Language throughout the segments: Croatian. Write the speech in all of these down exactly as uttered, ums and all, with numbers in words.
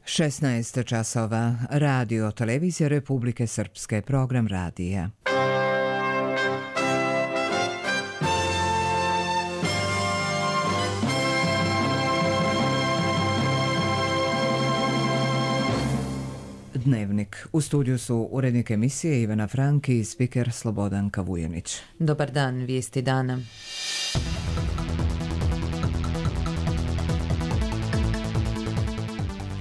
šesnaest časova. Radio Televizija Republike Srpske, program radija. Dnevnik. U studiju su urednik emisije Ivana Franki i spiker Slobodan Kavujanić. Dobar dan, vijesti dana.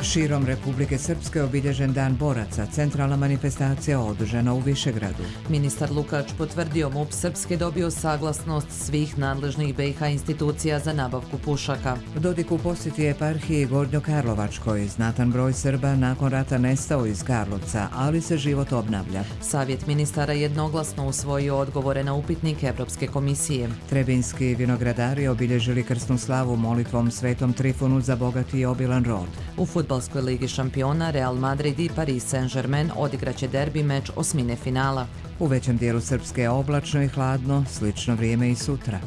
Širom Republike Srpske obilježen Dan boraca, centralna manifestacija održana u Višegradu. Ministar Lukač potvrdio M U P Srpske dobio saglasnost svih nadležnih B i H institucija za nabavku pušaka. Dodik u posjeti eparhiji Gornjokarlovačkoj. Znatan broj Srba nakon rata nestao iz Karlovca, ali se život obnavlja. Savjet ministara jednoglasno usvojio odgovore na upitnik Evropske komisije. Trebinski vinogradari obilježili krsnu slavu molitvom Svetom Trifunu za bogati i obilan rod. U fudbalskoj ligi šampiona Real Madrid i Paris Saint-Germain odigraće derbi meč osmine finala. U većem dijelu Srpske je oblačno i hladno, slično vrijeme i sutra.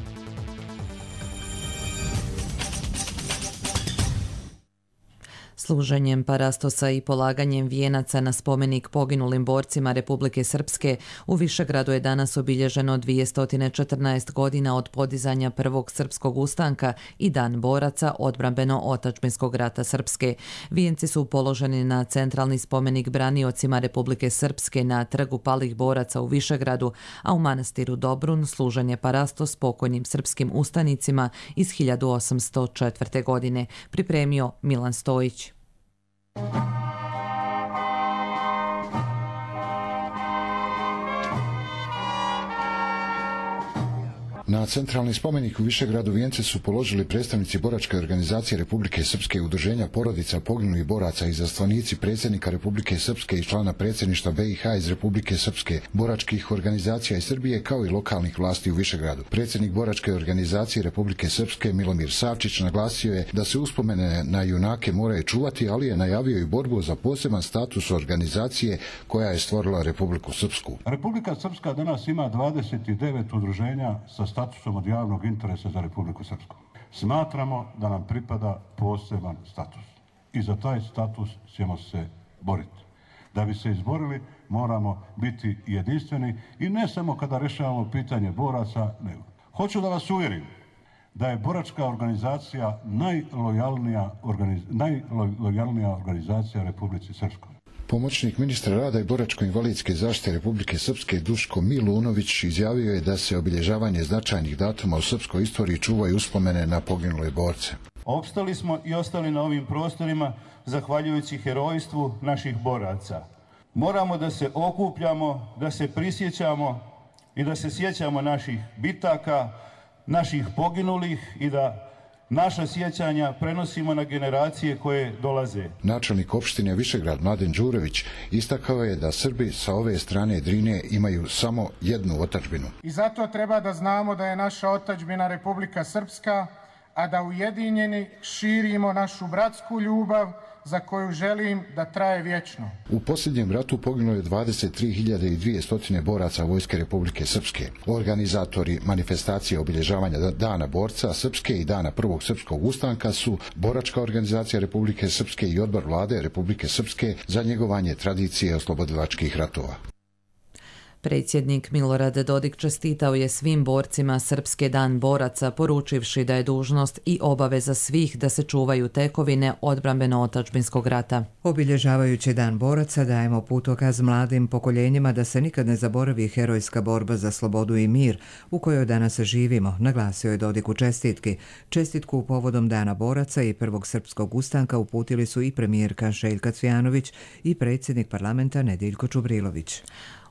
Služenjem parastosa i polaganjem vijenaca na spomenik poginulim borcima Republike Srpske u Višegradu je danas obilježeno dvjesto četrnaest godina od podizanja prvog srpskog ustanka i Dan boraca odbrambeno-otačbinskog rata Srpske. Vijenci su položeni na centralni spomenik braniocima Republike Srpske na trgu palih boraca u Višegradu, a u manastiru Dobrun služenje parastos pokojnim srpskim ustanicima iz hiljadu osamsto četvrte. godine. Pripremio Milan Stojić. Na centralni spomenik u Višegradu vijence su položili predstavnici boračke organizacije Republike Srpske i udruženja porodica poginulih boraca i izaslanici predsjednika Republike Srpske i člana predsjedništva B i H iz Republike Srpske, boračkih organizacija iz Srbije kao i lokalnih vlasti u Višegradu. Predsjednik boračke organizacije Republike Srpske Milomir Savčić naglasio je da se uspomene na junake moraju čuvati, ali je najavio i borbu za poseban status organizacije koja je stvorila Republiku Srpsku. Republika Srpska danas ima dvadeset devet udruženja sa statusom od javnog interesa za Republiku Srpsku. Smatramo da nam pripada poseban status i za taj status ćemo se boriti. Da bi se izborili moramo biti jedinstveni i ne samo kada rješavamo pitanje boraca, nego. Hoću da vas uvjerim da je boračka organizacija najlojalnija, organiz, najlojalnija organizacija Republici Srpskoj. Pomoćnik ministra rada i boračko-invalidske zaštite Republike Srpske Duško Milunović izjavio je da se obilježavanje značajnih datuma u srpskoj istoriji čuvaju uspomene na poginule borce. Opstali smo i ostali na ovim prostorima zahvaljujući herojstvu naših boraca. Moramo da se okupljamo, da se prisjećamo i da se sjećamo naših bitaka, naših poginulih i da naša sjećanja prenosimo na generacije koje dolaze. Načelnik opštine Višegrad Mladen Đurović istakao je da Srbi sa ove strane Drine imaju samo jednu otadžbinu. I zato treba da znamo da je naša otadžbina Republika Srpska, a da ujedinjeni širimo našu bratsku ljubav za koju želim da traje vječno. U posljednjem ratu poginulo je dvadeset tri hiljade dvjesto boraca Vojske Republike Srpske. Organizatori manifestacije obilježavanja Dana borca Srpske i Dana prvog srpskog ustanka su Boračka organizacija Republike Srpske i Odbor vlade Republike Srpske za njegovanje tradicije oslobodilačkih ratova. Predsjednik Milorad Dodik čestitao je svim borcima Srpske Dan boraca, poručivši da je dužnost i obaveza svih da se čuvaju tekovine odbrambeno-otačbinskog rata. Obilježavajući Dan boraca dajemo putokaz mladim pokoljenjima da se nikad ne zaboravi herojska borba za slobodu i mir u kojoj danas živimo, naglasio je Dodik u čestitki. Čestitku povodom Dana boraca i prvog srpskog ustanka uputili su i premijerka Željka Cvijanović i predsjednik parlamenta Nediljko Čubrilović.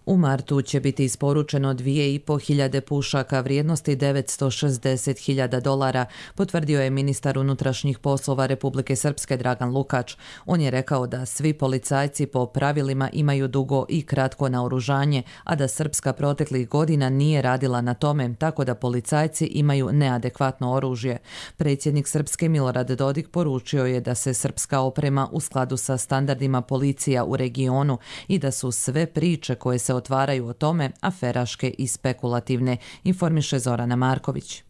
U martu će biti isporučeno dvije i po hiljade pušaka vrijednosti devetsto šezdeset hiljada dolara, potvrdio je ministar unutrašnjih poslova Republike Srpske Dragan Lukač. On je rekao da svi policajci po pravilima imaju dugo i kratko naoružanje, a da Srpska proteklih godina nije radila na tome, tako da policajci imaju neadekvatno oružje. Predsjednik Srpske Milorad Dodik poručio je da se srpska oprema u skladu sa standardima policija u regionu i da su sve priče koje se otvaraju o tome aferaške i spekulativne, informiše Zorana Marković.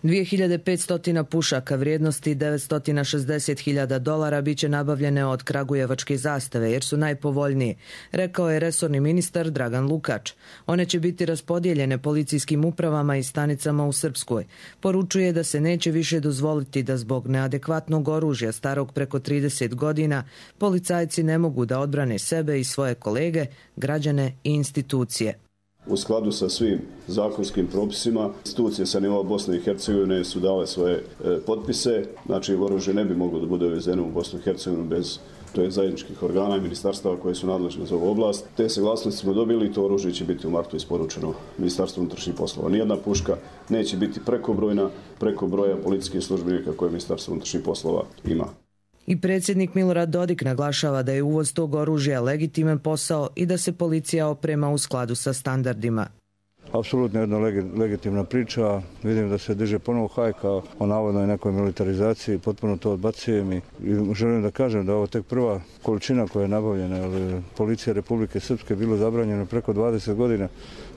dvije hiljade petsto pušaka vrijednosti devetsto šezdeset hiljada dolara biće nabavljene od kragujevačke zastave jer su najpovoljnije, rekao je resorni ministar Dragan Lukač. One će biti raspodijeljene policijskim upravama i stanicama u Srpskoj. Poručuje da se neće više dozvoliti da zbog neadekvatnog oružja starog preko trideset godina policajci ne mogu da odbrane sebe i svoje kolege, građane i institucije. U skladu sa svim zakonskim propisima, institucije sa nivoa Bosne i Hercegovine su dale svoje e, potpise, znači oružje ne bi moglo da bude uvezeno u Bosnu i Hercegovinu bez to je zajedničkih organa i ministarstava koje su nadležne za ovu oblast. Te saglasnosti smo dobili i to oružje će biti u martu isporučeno Ministarstvu unutrašnjih poslova. Nijedna puška neće biti prekobrojna, preko broja policijskih službenika koje Ministarstvo unutrašnjih poslova ima. I predsjednik Milorad Dodik naglašava da je uvoz tog oružja legitiman posao i da se policija oprema u skladu sa standardima. Apsolutno jedna legitimna priča. Vidim da se diže ponovo hajka o navodnoj nekoj militarizaciji, potpuno to odbacujem i želim da kažem da ovo tek prva količina koja je nabavljena, ali policija Republike Srpske je bilo zabranjeno preko dvadeset godina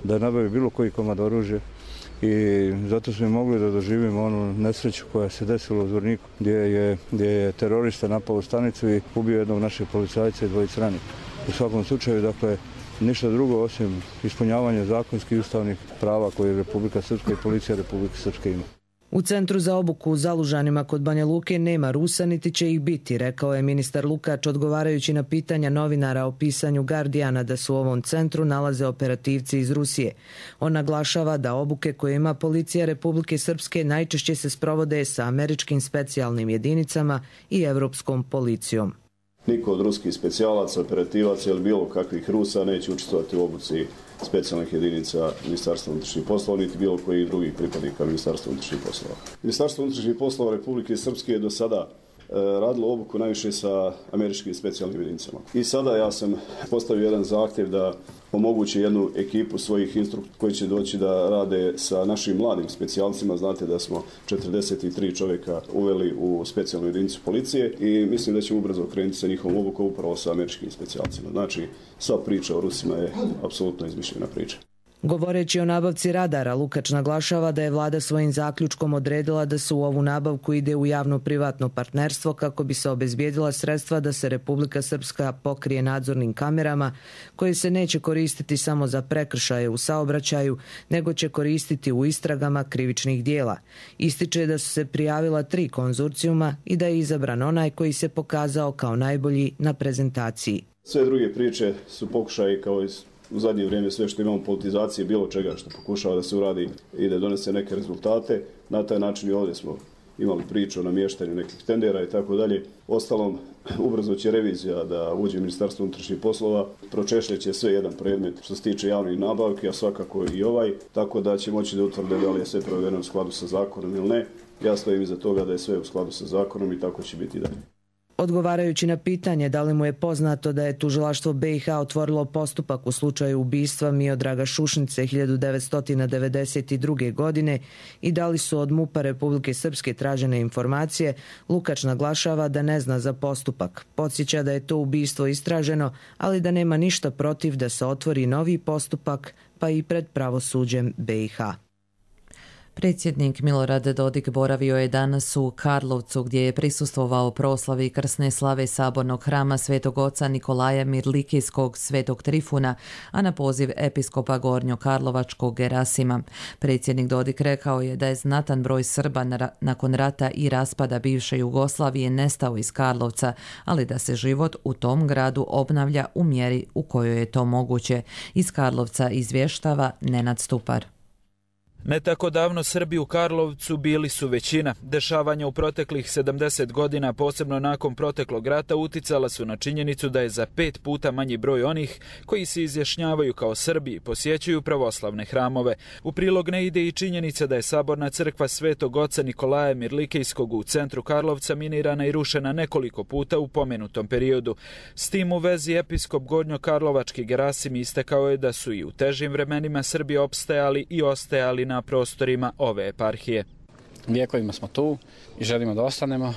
da nabavi bilo koji komad oružja. I zato smo mogli da doživimo onu nesreću koja se desila u Zvorniku gdje je, gdje je terorista napao u stanicu i ubio jednog našeg policajca i dvojice ranjenih. U svakom slučaju, dakle, ništa drugo osim ispunjavanja zakonskih i ustavnih prava koje Republika Srpska i policija Republike Srpske ima. U Centru za obuku u Zalužanima kod Banja Luke nema Rusa niti će ih biti, rekao je ministar Lukač odgovarajući na pitanja novinara o pisanju Guardiana da su u ovom centru nalaze operativci iz Rusije. On naglašava da obuke koje ima policija Republike Srpske najčešće se sprovode sa američkim specijalnim jedinicama i evropskom policijom. Niko od ruskih specijalaca, operativaca ili bilo kakvih Rusa neće učestvovati u obuci specijalnih jedinica Ministarstva unutrašnjih poslova, niti bilo koji drugih pripadnika Ministarstva unutrašnjih poslova. Ministarstvo unutrašnjih poslova Republike Srpske je do sada e, radilo obuku najviše sa američkim specijalnim jedinicama. I sada ja sam postavio jedan zahtjev da omogući jednu ekipu svojih instruktora koji će doći da rade sa našim mladim specijalcima. Znate da smo četrdeset tri čovjeka uveli u specijalnu jedinicu policije i mislim da ćemo ubrzo krenuti sa njihovom obukom upravo sa američkim specijalcima. Znači, sva priča o Rusima je apsolutno izmišljena priča. Govoreći o nabavci radara, Lukač naglašava da je vlada svojim zaključkom odredila da se u ovu nabavku ide u javno-privatno partnerstvo kako bi se obezbijedila sredstva da se Republika Srpska pokrije nadzornim kamerama koje se neće koristiti samo za prekršaje u saobraćaju, nego će koristiti u istragama krivičnih dijela. Ističe da su se prijavila tri konzorcijuma i da je izabran onaj koji se pokazao kao najbolji na prezentaciji. Sve druge priče su pokušaji kao iz u zadnje vrijeme sve što imamo politizacije, bilo čega što pokušava da se uradi i da donese neke rezultate. Na taj način i ovdje smo imali priču o namještanju nekih tendera i tako dalje. Ostalom, ubrzo će revizija da uđe u Ministarstvo unutrašnjih poslova, pročešljeće sve jedan predmet što se tiče javnih nabavki, a svakako i ovaj, tako da će moći da utvrde da li je sve provedeno u skladu sa zakonom ili ne. Ja stojim iza toga da je sve u skladu sa zakonom i tako će biti i dalje. Odgovarajući na pitanje da li mu je poznato da je tužilaštvo B i H otvorilo postupak u slučaju ubistva Miodraga Šušnice hiljadu devetsto devedeset druge. godine i da li su od MUP-a Republike Srpske tražene informacije, Lukač naglašava da ne zna za postupak. Podsjeća da je to ubistvo istraženo, ali da nema ništa protiv da se otvori novi postupak, pa i pred pravosuđem B i H. Predsjednik Milorad Dodik boravio je danas u Karlovcu gdje je prisustvovao proslavi krsne slave sabornog hrama Svetog oca Nikolaja Mirlikijskog Svetog Trifuna, a na poziv episkopa Gornjokarlovačkog Gerasima. Predsjednik Dodik rekao je da je znatan broj Srba nakon rata i raspada bivše Jugoslavije nestao iz Karlovca, ali da se život u tom gradu obnavlja u mjeri u kojoj je to moguće. Iz Karlovca izvještava Nenad Stupar. Ne tako davno Srbi u Karlovcu bili su većina. Dešavanja u proteklih sedamdeset godina, posebno nakon proteklog rata, uticala su na činjenicu da je za pet puta manji broj onih koji se izjašnjavaju kao Srbi i posjećuju pravoslavne hramove. U prilog ne ide i činjenica da je saborna crkva Svetog oca Nikolaja Mirlikijskog u centru Karlovca minirana i rušena nekoliko puta u pomenutom periodu. S tim u vezi episkop Gornjokarlovački Gerasim istakao je da su i u težim vremenima Srbi opstajali i ostajali na prostorima ove eparhije. Vijekovima smo tu i želimo da ostanemo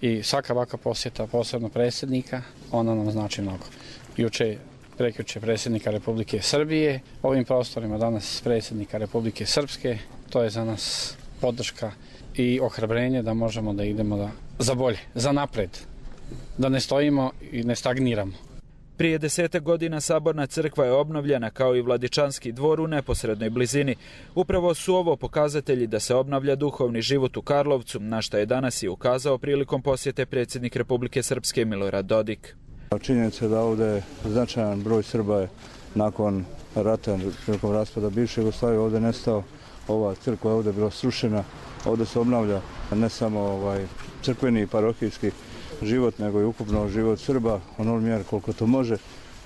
i svaka ovakva posjeta, posebno predsjednika, ona nam znači mnogo. Juče, prekjuče predsjednika Republike Srbije, ovim prostorima danas predsjednika Republike Srpske, to je za nas podrška i ohrabrenje da možemo da idemo da, za bolje, za napred, da ne stojimo i ne stagniramo. Prije desetak godina Saborna crkva je obnovljena kao i Vladičanski dvor u neposrednoj blizini. Upravo su ovo pokazatelji da se obnavlja duhovni život u Karlovcu, na što je danas i ukazao prilikom posjete predsjednik Republike Srpske Milorad Dodik. Činjenica je da ovdje značajan broj Srba je nakon rata, prilikom raspada bivše Jugoslavije ovdje nestao. Ova crkva je ovdje bila srušena, ovdje se obnavlja ne samo ovaj crkveni i parohijski život, nego i ukupno život Srba, onoliko mjera koliko to može.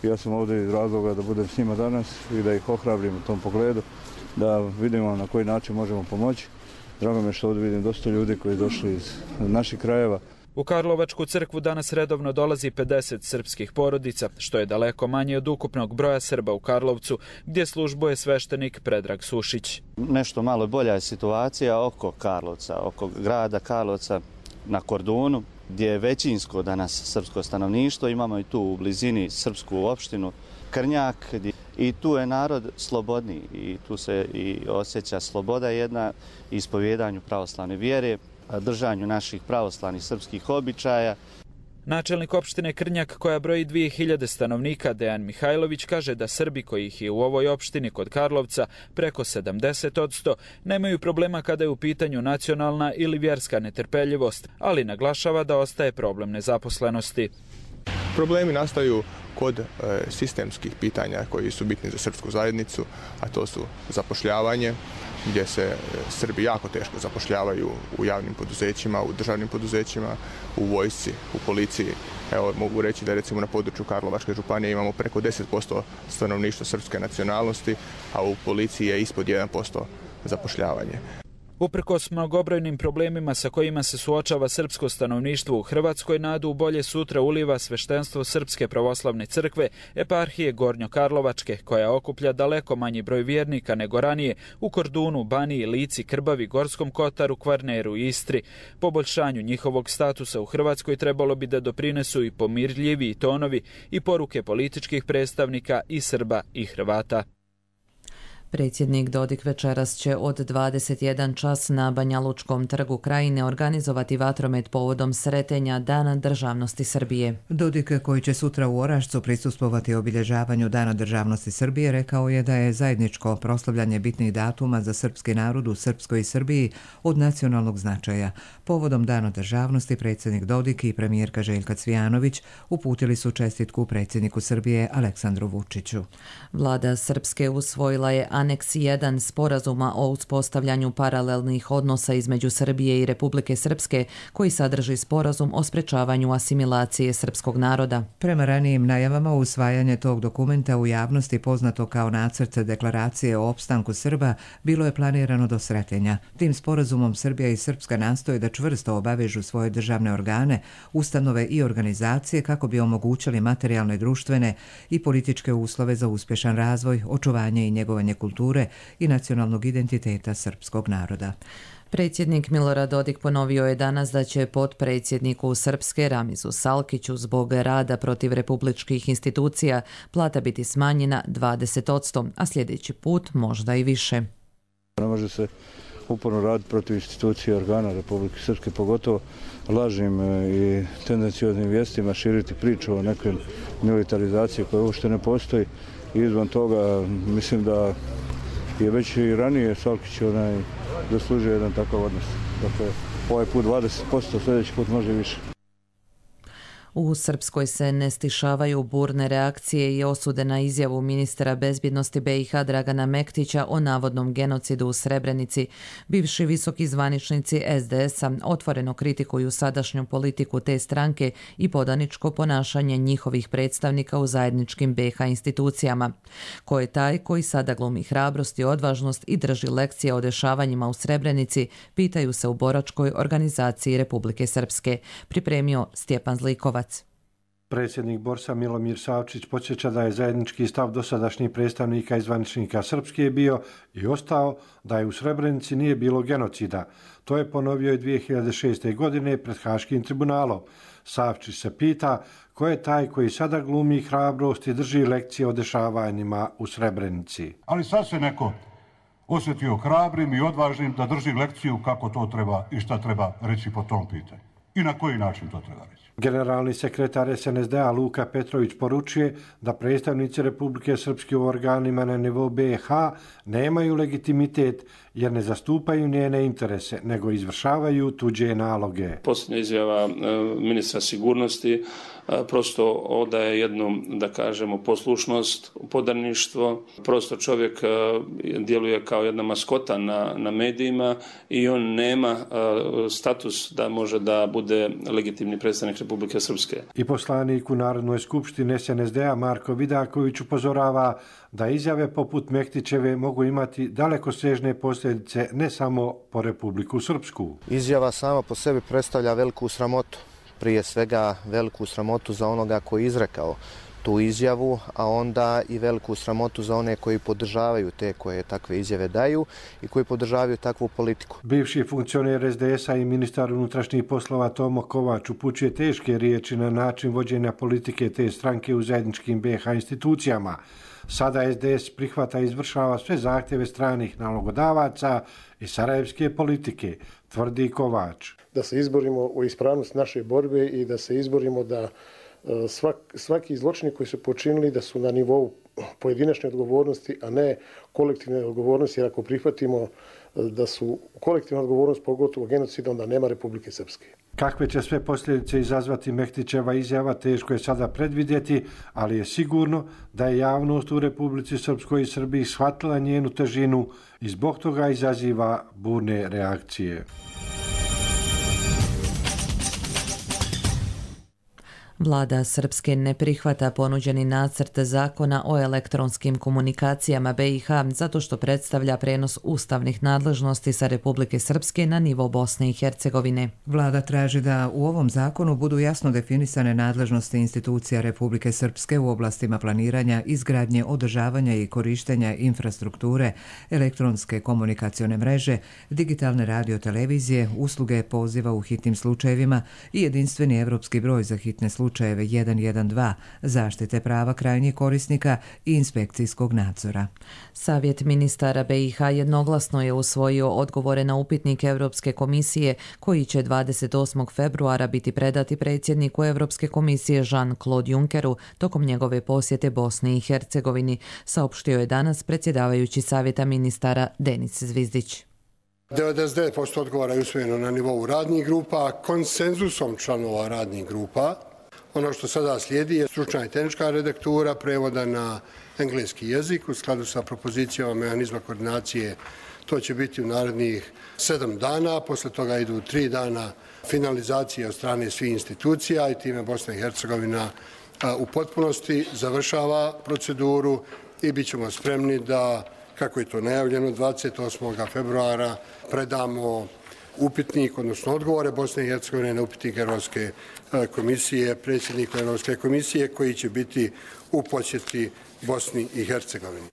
Ja sam ovdje iz razloga da budem s njima danas i da ih ohrabrim u tom pogledu, da vidimo na koji način možemo pomoći. Drago mi je što ovdje vidim dosta ljudi koji došli iz naših krajeva. U Karlovačku crkvu danas redovno dolazi pedeset srpskih porodica, što je daleko manje od ukupnog broja Srba u Karlovcu, gdje službuje sveštenik Predrag Sušić. Nešto malo bolja je situacija oko Karlovca, oko grada Karlovca na Kordunu, gdje je većinsko danas srpsko stanovništvo. Imamo i tu u blizini srpsku opštinu Krnjak i tu je narod slobodniji i tu se i osjeća sloboda jedna ispovjedanju pravoslavne vjere, držanju naših pravoslavnih srpskih običaja. Načelnik opštine Krnjak, koja broji dvije hiljade stanovnika, Dejan Mihajlović, kaže da Srbi, kojih je u ovoj opštini kod Karlovca preko sedamdeset posto, nemaju problema kada je u pitanju nacionalna ili vjerska netrpeljivost, ali naglašava da ostaje problem nezaposlenosti. Problemi nastaju kod e, sistemskih pitanja koji su bitni za srpsku zajednicu, a to su zapošljavanje, gdje se Srbi jako teško zapošljavaju u javnim poduzećima, u državnim poduzećima, u vojsci, u policiji. Evo, mogu reći da recimo na području Karlovačke županije imamo preko deset posto stanovništva srpske nacionalnosti, a u policiji je ispod jedan posto zapošljavanje. Uprkos mnogobrojnim problemima sa kojima se suočava srpsko stanovništvo u Hrvatskoj, nadu u bolje sutra uliva sveštenstvo Srpske pravoslavne crkve, eparhije Gornjokarlovačke, koja okuplja daleko manji broj vjernika nego ranije u Kordunu, Baniji, Lici, Krbavi, Gorskom Kotaru, Kvarneru i Istri. Poboljšanju njihovog statusa u Hrvatskoj trebalo bi da doprinesu i pomirljiviji tonovi i poruke političkih predstavnika i Srba i Hrvata. Predsjednik Dodik večeras će od dvadeset jedan čas na Banjalučkom trgu Krajine organizovati vatromet povodom sretenja Dana državnosti Srbije. Dodik, koji će sutra u Orašcu prisustvovati obilježavanju Dana državnosti Srbije, rekao je da je zajedničko proslavljanje bitnih datuma za srpski narod u Srpskoj i Srbiji od nacionalnog značaja. Povodom Dana državnosti predsjednik Dodik i premijerka Željka Cvijanović uputili su čestitku predsjedniku Srbije Aleksandru Vučiću. Vlada Srpske usvojila je Aneks jedan sporazuma o uspostavljanju paralelnih odnosa između Srbije i Republike Srpske, koji sadrži sporazum o sprečavanju asimilacije srpskog naroda. Prema ranijim najavama, usvajanje tog dokumenta u javnosti, poznato kao nacrt deklaracije o opstanku Srba, bilo je planirano do Sretenja. Tim sporazumom Srbija i Srpska nastoje da čvrsto obavežu svoje državne organe, ustanove i organizacije kako bi omogućili materijalne, društvene i političke uslove za uspješan razvoj, očuvanje i njegovanje kulture i nacionalnog identiteta srpskog naroda. Predsjednik Milorad Dodik ponovio je danas da će potpredsjedniku Srpske Ramizu Salkiću zbog rada protiv republičkih institucija plata biti smanjena dvadeset posto, a sljedeći put možda i više. Ne može se uporno raditi protiv institucije organa Republike Srpske, pogotovo lažnim i tendencioznim vijestima širiti priču o nekoj militarizaciji koja uopšte ne postoji. I izvan toga mislim da je već i ranije Salkić onaj zaslužio jedan takav odnos. Dakle, ovaj put dvadeset posto, sljedeći put može više. U Srpskoj se ne stišavaju burne reakcije i osude na izjavu ministra bezbjednosti B i H Dragana Mektića o navodnom genocidu u Srebrenici. Bivši visoki zvaničnici S D S-a otvoreno kritikuju sadašnju politiku te stranke i podaničko ponašanje njihovih predstavnika u zajedničkim B i H institucijama. Ko je taj koji sada glumi hrabrost i odvažnost i drži lekcije o dešavanjima u Srebrenici, pitaju se u boračkoj organizaciji Republike Srpske. Pripremio Stjepan Zlikovac. Predsjednik Borsa Milomir Savčić podsjeća da je zajednički stav dosadašnjih predstavnika i zvaničnika Srpske bio i ostao da je u Srebrenici nije bilo genocida. To je ponovio i dvije hiljade šeste. godine pred Haškim tribunalom. Savčić se pita ko je taj koji sada glumi hrabrost i drži lekcije o dešavanjima u Srebrenici. Ali sad se neko osjetio hrabrim i odvažnim da drži lekciju kako to treba i šta treba reći po tom pitanju. I na koji način to treba reći. Generalni sekretar es en es de a Luka Petrović poručuje da predstavnici Republike Srpske u organima na nivou be ha nemaju legitimitet jer ne zastupaju njene interese, nego izvršavaju tuđe naloge. Posljednja izjava ministra sigurnosti prosto odaje jednu, da kažemo, poslušnost, podarništvo. Prosto čovjek djeluje kao jedna maskota na, na medijima i on nema status da može da bude legitimni predstavnik Republike Srpske. I poslanik u Narodnoj skupštini es en es de a Marko Vidaković upozorava da izjave poput Mektićeve mogu imati dalekosežne posljedice ne samo po Republiku Srpsku. Izjava sama po sebi predstavlja veliku sramotu. Prije svega veliku sramotu za onoga koji je izrekao tu izjavu, a onda i veliku sramotu za one koji podržavaju te koje takve izjave daju i koji podržavaju takvu politiku. Bivši funkcioner es de es a i ministar unutrašnjih poslova Tomo Kovač upućuje teške riječi na način vođenja politike te stranke u zajedničkim be ha institucijama. Sada es de es prihvata i izvršava sve zahtjeve stranih nalogodavaca i sarajevske politike, tvrdi Kovač. Da se izborimo u ispravnost naše borbe i da se izborimo da svak, svaki zločini koji su počinili da su na nivou pojedinačne odgovornosti, a ne kolektivne odgovornosti, jer ako prihvatimo da su kolektivna odgovornost pogotovo genocida, onda nema Republike Srpske. Kakve će sve posljedice izazvati Mektićeva izjava, teško je sada predvidjeti, ali je sigurno da je javnost u Republici Srpskoj i Srbiji shvatila njenu težinu i zbog toga izaziva burne reakcije. Vlada Srpske ne prihvata ponuđeni nacrt zakona o elektronskim komunikacijama be i ha zato što predstavlja prenos ustavnih nadležnosti sa Republike Srpske na nivo Bosne i Hercegovine. Vlada traži da u ovom zakonu budu jasno definisane nadležnosti institucija Republike Srpske u oblastima planiranja, izgradnje, održavanja i korištenja infrastrukture, elektronske komunikacione mreže, digitalne radiotelevizije, usluge poziva u hitnim slučajevima i jedinstveni evropski broj za hitne slučajeve slučajeve jedan jedan dva, zaštite prava krajnjih korisnika i inspekcijskog nadzora. Savjet ministara be i ha jednoglasno je usvojio odgovore na upitnik Europske komisije koji će dvadeset osmog februara biti predati predsjedniku Europske komisije Jean-Claude Junckeru tokom njegove posjete Bosni i Hercegovini, saopštio je danas predsjedavajući Savjeta ministara Denis Zvizdić. devedeset devet posto odgovora je usvojeno na nivou radnih grupa, konsenzusom članova radnih grupa. Ono što sada slijedi je stručna i tehnička redaktura prevoda na engleski jezik u skladu sa propozicijama mehanizma koordinacije. To će biti u narednih sedam dana, posle toga idu tri dana finalizacije od strane svih institucija i time Bosna i Hercegovina u potpunosti završava proceduru i bit ćemo spremni da, kako je to najavljeno, dvadeset osmog februara predamo upitnik, odnosno odgovore Bosne i Hercegovine na upitnik Europske komisije, predsjedniku Europske komisije koji će biti u posjeti Bosni i Hercegovini.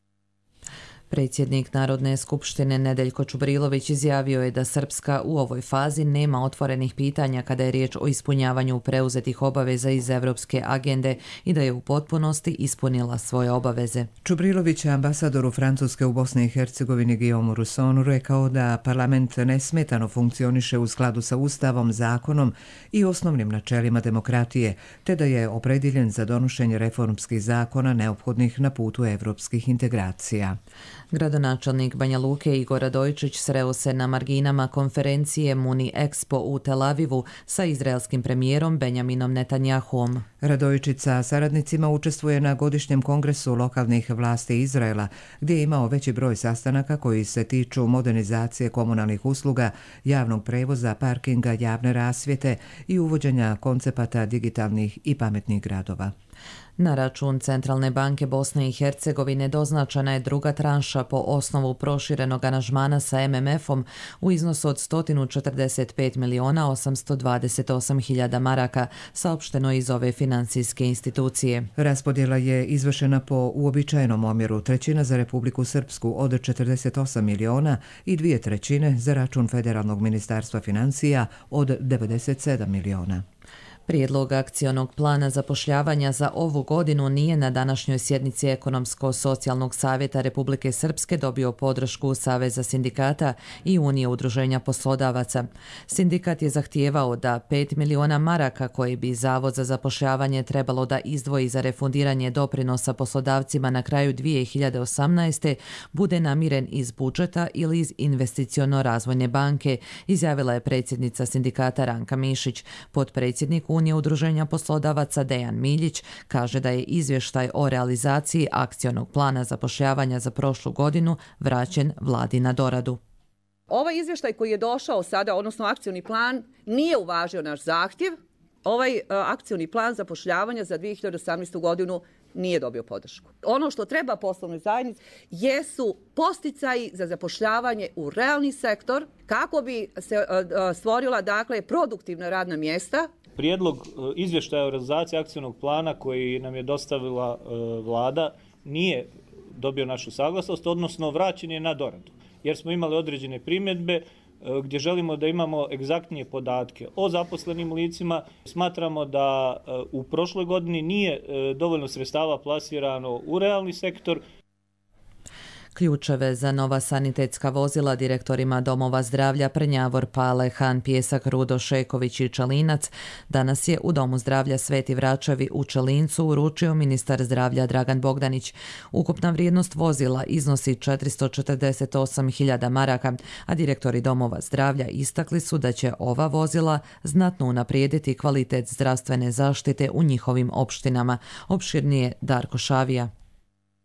Predsjednik Narodne skupštine Nedeljko Čubrilović izjavio je da Srpska u ovoj fazi nema otvorenih pitanja kada je riječ o ispunjavanju preuzetih obaveza iz Evropske agende i da je u potpunosti ispunila svoje obaveze. Čubrilović je ambasadoru Francuske u Bosni i Hercegovini Guillaume Russonu rekao da parlament nesmetano funkcioniše u skladu sa Ustavom, zakonom i osnovnim načelima demokratije, te da je opredjeljen za donošenje reformskih zakona neophodnih na putu evropskih integracija. Gradonačelnik Banja Luke Igor Radojičić sreo se na marginama konferencije Muni Expo u Tel Avivu sa izraelskim premijerom Benjaminom Netanjahuom. Radojičić sa saradnicima učestvuje na godišnjem kongresu lokalnih vlasti Izraela, gdje je imao veći broj sastanaka koji se tiču modernizacije komunalnih usluga, javnog prevoza, parkinga, javne rasvjete i uvođenja koncepata digitalnih i pametnih gradova. Na račun Centralne banke Bosne i Hercegovine doznačena je druga tranša po osnovu proširenog aranžmana sa em em efom u iznosu od sto četrdeset pet miliona osamsto dvadeset osam hiljada maraka, saopšteno iz ove finansijske institucije. Raspodjela je izvršena po uobičajenom omjeru, trećina za Republiku Srpsku od četrdeset osam miliona i dvije trećine za račun Federalnog ministarstva financija od devedeset sedam miliona. Prijedlog akcionog plana zapošljavanja za ovu godinu nije na današnjoj sjednici Ekonomsko-socijalnog savjeta Republike Srpske dobio podršku Saveza sindikata i Unije udruženja poslodavaca. Sindikat je zahtijevao da pet miliona maraka koje bi Zavod za zapošljavanje trebalo da izdvoji za refundiranje doprinosa poslodavcima na kraju dvije hiljade osamnaeste. bude namiren iz budžeta ili iz investiciono-razvojne banke, izjavila je predsjednica sindikata Ranka Mišić. Potpredsjednik Unije udruženja poslodavaca Dejan Miljić kaže da je izvještaj o realizaciji akcionog plana zapošljavanja za prošlu godinu vraćen vladi na doradu. Ovaj izvještaj koji je došao sada, odnosno akcioni plan, nije uvažio naš zahtjev. Ovaj uh, akcioni plan zapošljavanja za dvije hiljade osamnaestu. godinu nije dobio podršku. Ono što treba poslovnoj zajednici jesu posticaji za zapošljavanje u realni sektor kako bi se uh, stvorila dakle produktivna radna mjesta. Prijedlog izvještaja o realizaciji akcionog plana koji nam je dostavila uh, vlada nije dobio našu saglasnost, odnosno vraćen je na doradu, jer smo imali određene primjedbe uh, gdje želimo da imamo egzaktnije podatke o zaposlenim licima. Smatramo da uh, u prošloj godini nije uh, dovoljno sredstava plasirano u realni sektor. Ključeve za nova sanitetska vozila direktorima domova zdravlja Prnjavor, Pale, Han, Pjesak, Rudo, Šeković i Čelinac danas je u Domu zdravlja Sveti Vračevi u Čelincu uručio ministar zdravlja Dragan Bogdanić. Ukupna vrijednost vozila iznosi četiristo četrdeset osam hiljada maraka, a direktori domova zdravlja istakli su da će ova vozila znatno unaprijediti kvalitet zdravstvene zaštite u njihovim opštinama. Opširnije Darko Šavija.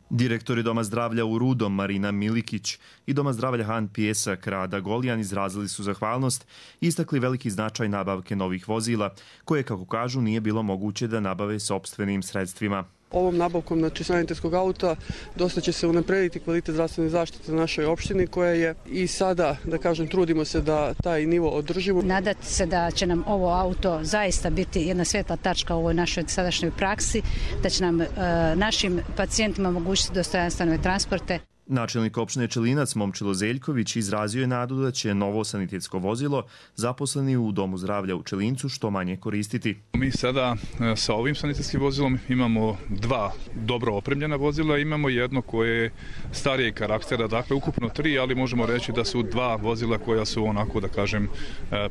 Direktori Doma zdravlja u Rudom Marina Milikić i Doma zdravlja Han Pjesak Rada Goljan izrazili su zahvalnost i istakli veliki značaj nabavke novih vozila, koje, kako kažu, nije bilo moguće da nabave sopstvenim sredstvima. Ovom nabavkom znači, sanitetskog auta dosta će se unaprijediti kvalitet zdravstvene zaštite na našoj opštini, koja je i sada, da kažem, trudimo se da taj nivo održimo. Nadati se da će nam ovo auto zaista biti jedna svetla tačka u ovoj našoj sadašnjoj praksi, da će nam e, našim pacijentima omogućiti dostojanstvene transporte. Načelnik opštine Čelinac Momčilo Zeljković izrazio je nadu da će novo sanitetsko vozilo zaposleni u Domu zdravlja u Čelincu što manje koristiti. Mi sada sa ovim sanitetskim vozilom imamo dva dobro opremljena vozila, imamo jedno koje je starije karaktera, dakle ukupno tri, ali možemo reći da su dva vozila koja su onako, da kažem,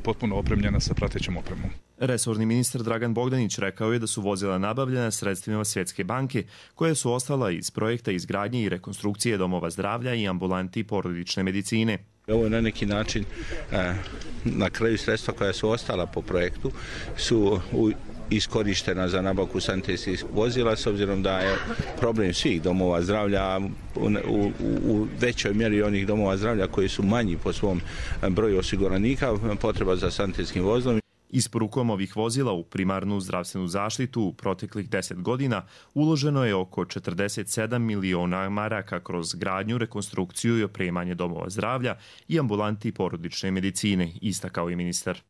potpuno opremljena sa pratećom opremom. Resorni ministar Dragan Bogdanić rekao je da su vozila nabavljena sredstvima Svjetske banke, koje su ostala iz projekta izgradnje i rekonstrukcije domova zdravlja i ambulanti porodične medicine. Ovo je na neki način, na kraju sredstva koja su ostala po projektu, su iskorištena za nabavku sanitetskih vozila, s obzirom da je problem svih domova zdravlja, u, u, u većoj mjeri onih domova zdravlja koji su manji po svom broju osiguranika, potreba za sanitetskim vozilom. Isporukom ovih vozila u primarnu zdravstvenu zaštitu u proteklih deset godina uloženo je oko četrdeset sedam miliona maraka kroz gradnju, rekonstrukciju i opremanje domova zdravlja i ambulanti porodične medicine, istakao je ministar.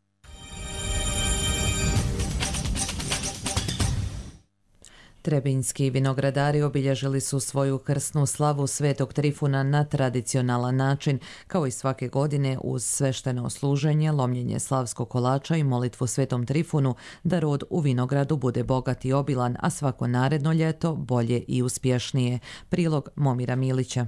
Trebinjski vinogradari obilježili su svoju krsnu slavu Svetog Trifuna na tradicionalan način, kao i svake godine uz svešteno služenje, lomljenje slavskog kolača i molitvu Svetom Trifunu da rod u vinogradu bude bogat i obilan, a svako naredno ljeto bolje i uspješnije. Prilog Momira Milića.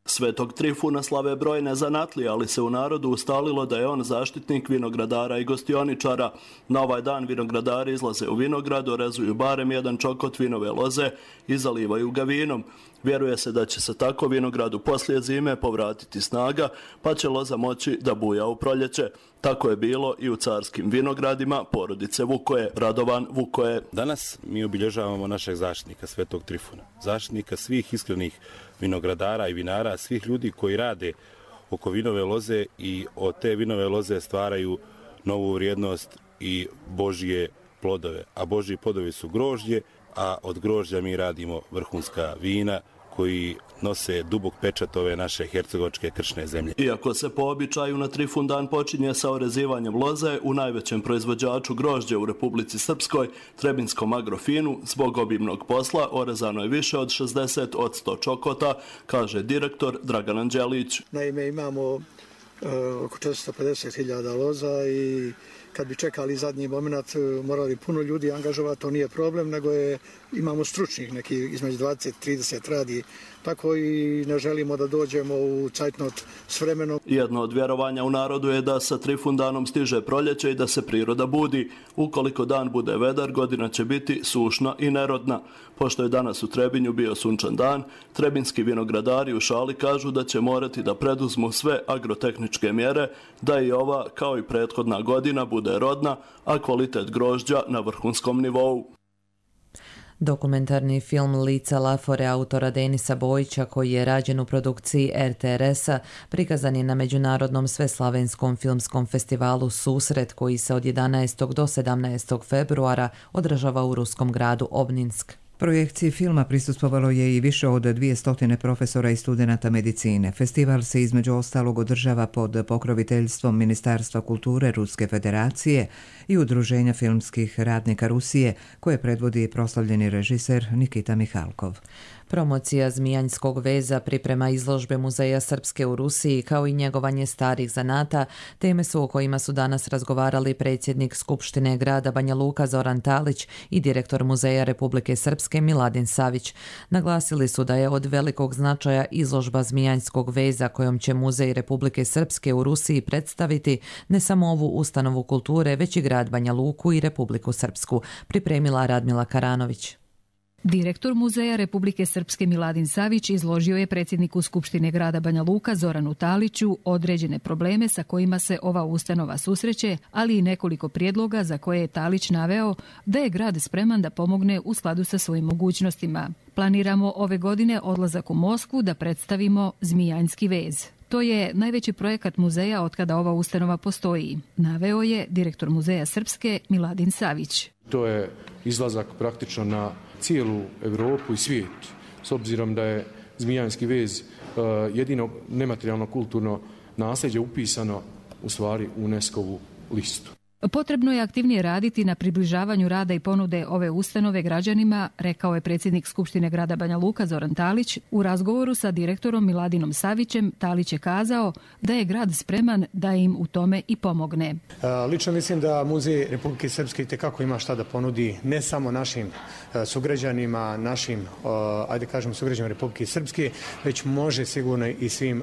Svetog Trifuna slave brojne zanatlije, ali se u narodu ustalilo da je on zaštitnik vinogradara i gostioničara. Na ovaj dan vinogradari izlaze u vinograd, orezuju barem jedan čokot vinove loze i zalivaju ga vinom. Vjeruje se da će se tako vinogradu poslije zime povratiti snaga, pa će loza moći da buja u proljeće. Tako je bilo i u carskim vinogradima porodice Vukoje. Radovan Vukoje. Danas mi obilježavamo našeg zaštitnika Svetog Trifuna, zaštitnika svih iskrenih vinogradara i vinara, svih ljudi koji rade oko vinove loze i od te vinove loze stvaraju novu vrijednost i Božje plodove. A Božji plodovi su grožđe, a od grožđa mi radimo vrhunska vina koji nose dubok pečat ove naše hercegovačke kršne zemlje. Iako se po običaju na Trifun dan počinje sa orezivanjem loze, u najvećem proizvođaču grožđe u Republici Srpskoj, Trebinskom Agrofinu, zbog obimnog posla orezano je više od šezdeset od sto čokota, kaže direktor Dragan Anđelić. Naime, imamo uh, oko četiristo pedeset hiljada loza i kad bi čekali zadnji moment, morali puno ljudi angažovati, to nije problem, nego je, imamo stručnih, neki između dvadeset trideset radi, tako i ne želimo da dođemo u cajtnot s vremenom. Jedno od vjerovanja u narodu je da sa Trifundanom stiže proljeće i da se priroda budi. Ukoliko dan bude vedar, godina će biti sušna i nerodna. Pošto je danas u Trebinju bio sunčan dan, trebinski vinogradari u šali kažu da će morati da preduzmu sve agrotehničke mjere, da i ova, kao i prethodna godina, bude rodna, a kvalitet grožđa na vrhunskom nivou. Dokumentarni film Lica Lafore autora Denisa Bojića, koji je rađen u produkciji er te er es-a, prikazan je na Međunarodnom sveslavenskom filmskom festivalu Susret, koji se od jedanaestog do sedamnaestog februara održava u ruskom gradu Obninsk. Projekciji filma prisustvovalo je i više od dvjesto profesora i studenata medicine. Festival se između ostalog održava pod pokroviteljstvom Ministarstva kulture Ruske federacije i Udruženja filmskih radnika Rusije, koje predvodi proslavljeni režiser Nikita Mihalkov. Promocija Zmijanjskog veza, priprema izložbe Muzeja Srpske u Rusiji kao i njegovanje starih zanata, teme su o kojima su danas razgovarali predsjednik Skupštine grada Banja Luka Zoran Talić i direktor Muzeja Republike Srpske Miladin Savić. Naglasili su da je od velikog značaja izložba Zmijanjskog veza kojom će Muzej Republike Srpske u Rusiji predstaviti ne samo ovu ustanovu kulture, već i grad Banja Luku i Republiku Srpsku, pripremila Radmila Karanović. Direktor Muzeja Republike Srpske Miladin Savić izložio je predsjedniku Skupštine grada Banja Luka Zoranu Taliću određene probleme sa kojima se ova ustanova susreće, ali i nekoliko prijedloga za koje je Talić naveo da je grad spreman da pomogne u skladu sa svojim mogućnostima. Planiramo ove godine odlazak u Moskvu da predstavimo Zmijanjski vez. To je najveći projekat muzeja otkada ova ustanova postoji, naveo je direktor Muzeja Srpske Miladin Savić. To je izlazak praktično na cijelu Europu i svijet, s obzirom da je Zmijanjski vez jedino nematerijalno kulturno nasljeđe upisano u stvari u UNESCO-vu listu. Potrebno je aktivnije raditi na približavanju rada i ponude ove ustanove građanima, rekao je predsjednik Skupštine grada Banja Luka Zoran Talić. U razgovoru sa direktorom Miladinom Savićem Talić je kazao da je grad spreman da im u tome i pomogne. Lično mislim da Muzej Republike Srpske itekako ima šta da ponudi ne samo našim sugrađanima, našim, ajde kažemo, sugrađanima Republike Srpske, već može sigurno i svim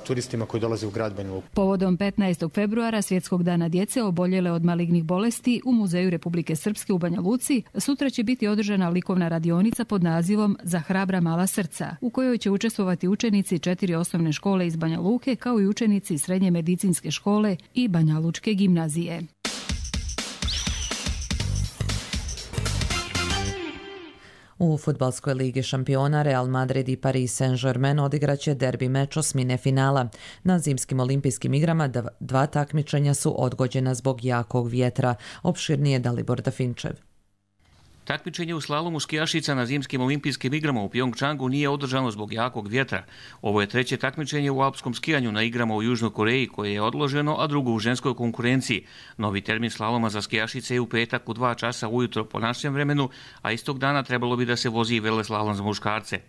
turistima koji dolaze u grad Banja Luku. Povodom petnaestog februara, Svjetskog dana djece oboljele od malignih bolesti, u Muzeju Republike Srpske u Banja Luci sutra će biti održana likovna radionica pod nazivom Za hrabra mala srca, u kojoj će učestvovati učenici četiri osnovne škole iz Banja Luke, kao i učenici Srednje medicinske škole i Banja Lučke gimnazije. U fudbalskoj ligi šampiona Real Madrid i Paris Saint-Germain odigraće derbi meč osmine finala. Na zimskim olimpijskim igrama dva takmičenja su odgođena zbog jakog vjetra. Opširnije Dalibor Dafinčev. Takmičenje u slalomu skijašica na zimskim olimpijskim igrama u Pjongčangu nije održano zbog jakog vjetra. Ovo je treće takmičenje u alpskom skijanju na igrama u Južnoj Koreji koje je odloženo, a drugo u ženskoj konkurenciji. Novi termin slaloma za skijašice je u petak u dva časa ujutro po našem vremenu, a istog dana trebalo bi da se vozi i veleslalom za muškarce.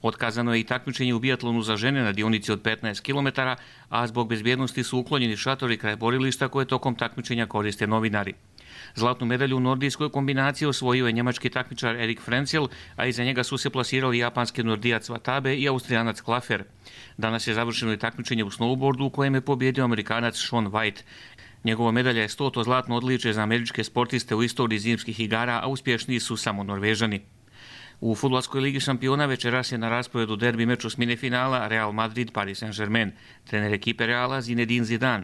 Otkazano je i takmičenje u biatlonu za žene na dionici od petnaest kilometara, a zbog bezbjednosti su uklonjeni šatori kraj borilišta koje tokom takmičenja koriste novinari. Zlatnu medalju u nordijskoj kombinaciji osvojio je njemački takmičar Erik Frenzel, a iza njega su se plasirali japanski nordijac Watabe i austrijanac Klafer. Danas je završeno i takmičenje u snowboardu u kojem je pobjedio Amerikanac Shaun White. Njegova medalja je stoto zlatno odličje za američke sportiste u istoriji zimskih igara, a uspješniji su samo Norvežani. U fudbalskoj ligi šampiona večeras je na rasporedu derbi meč osmine finala Real Madrid Paris Saint-Germain. Trener ekipe Reala Zinedine Zidane.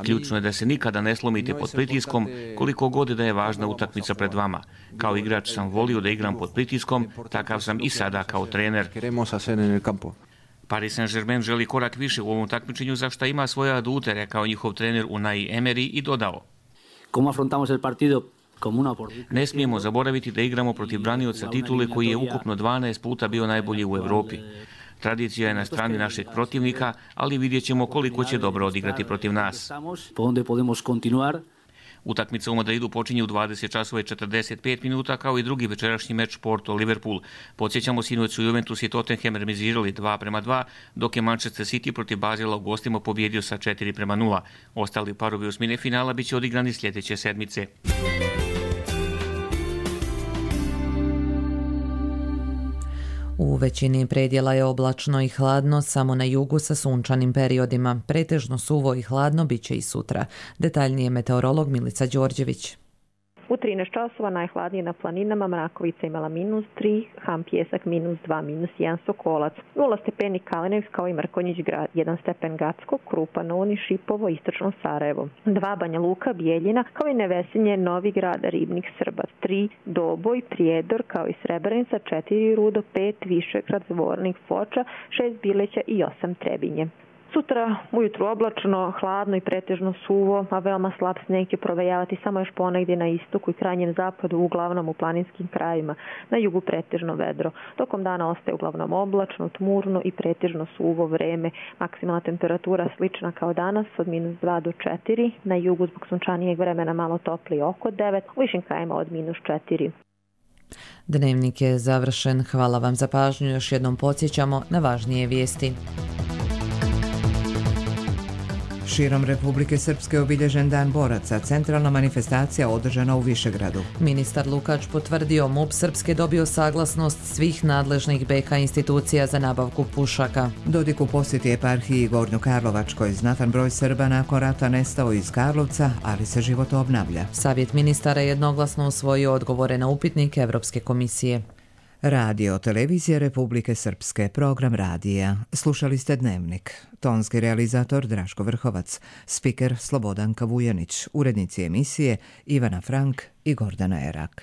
Ključno je da se nikada ne slomite pod pritiskom, koliko god da je važna utakmica pred vama. Kao igrač sam volio da igram pod pritiskom, takav sam i sada kao trener. Paris Saint-Germain želi korak više u ovom takmičenju, za što ima svoje adute, rekao njihov trener Unai Emery i dodao. Ne smijemo zaboraviti da igramo protiv branioca titule koji je ukupno dvanaest puta bio najbolji u Europi. Tradicija je na strani našeg protivnika, ali vidjet ćemo koliko će dobro odigrati protiv nas. Utakmica u Madridu počinje u dvadeset časova i četrdeset pet minuta, kao i drugi večerašnji meč Porto-Liverpool. Podsjećamo, sinoć su Juventus i Tottenham remizirali dva prema dva, dok je Manchester City protiv Bazela u gostima pobjedio sa četiri prema nula. Ostali parovi osmine finala biće odigrani sljedeće sedmice. U većini predjela je oblačno i hladno, samo na jugu sa sunčanim periodima. Pretežno suvo i hladno bit će i sutra. Detaljnije meteorolog Milica Đorđević. U trinaest časova najhladnije na planinama, Mrakovica imala minus tri, Ham Pjesak minus dva, minus jedan Sokolac, nula stepeni Kalinec kao i Mrkonjić grad, jedan stepen Gacko, Krupa, Noni, Šipovo, Istočno Sarajevo, dva Banja Luka, Bijeljina, kao i Nevesinje, Novi Grad, Ribnik, Srbac, tri Doboj, Prijedor, kao i Srebrenica, četiri Rudo, pet Višegrad, Zvornik, Foča, šest Bileća i osam Trebinje. Sutra ujutru oblačno, hladno i pretežno suvo, a veoma slab sneg će provejavati samo još ponegdje na istoku i krajnjem zapadu, uglavnom u planinskim krajevima, na jugu pretežno vedro. Tokom dana ostaje uglavnom oblačno, tmurno i pretežno suvo vreme. Maksimalna temperatura slična kao danas, od minus dva do četiri, na jugu zbog sunčanijeg vremena malo toplije oko devet, u višim krajima od minus četiri. Dnevnik je završen. Hvala vam za pažnju. Još jednom podsjećamo na važnije vijesti. Širom Republike Srpske obilježen Dan boraca, centralna manifestacija održana u Višegradu. Ministar Lukač potvrdio M U P Srpske dobio saglasnost svih nadležnih B K institucija za nabavku pušaka. Dodik u posjeti eparhiji Gornjokarlovačkoj. Znatan broj Srba nakon rata nestao iz Karlovca, ali se život obnavlja. Savjet ministara jednoglasno usvojio odgovore na upitnik Evropske komisije. Radio Televizija Republike Srpske, program radija. Slušali ste Dnevnik. Tonski realizator Draško Vrhovac, spiker Slobodanka Vujanić, urednici emisije Ivana Frank i Gordana Erak.